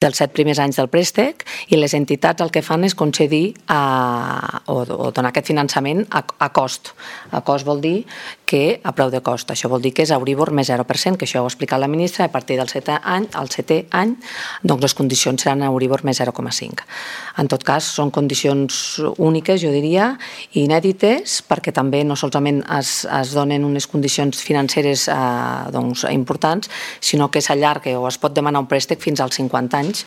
dels 7 primers anys del préstec, i les entitats el que fan és concedir o donar aquest finançament a cost. A cost vol dir que a preu de cost. Això vol dir que és Euribor més 0%, que això ho ha explicat la ministra, i a partir del 7è any, doncs les condicions seran Euribor més 0,5. En tot cas, són condicions úniques, jo diria, i inèdites, perquè també no solament es donen unes condicions financeres importants, sinó que s'allarga o es pot demanar un préstec fins als 50 anys,